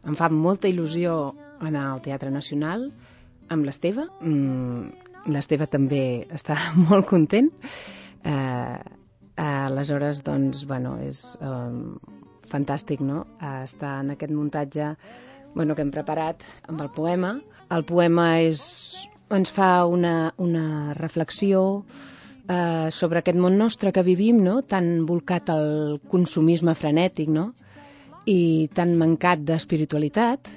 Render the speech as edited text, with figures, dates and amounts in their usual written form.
Em fa molta il·lusió anar al Teatre Nacional amb l'Esteve. L'Esteve també està molt content. Aleshores, doncs, bueno, és fantàstic, no?, estar en aquest muntatge que hem preparat amb el poema. El poema ens fa una reflexió sobre aquest món nostre que vivim, no?, tan volcat al consumisme frenètic, no?, i tan mancat d'espiritualitat,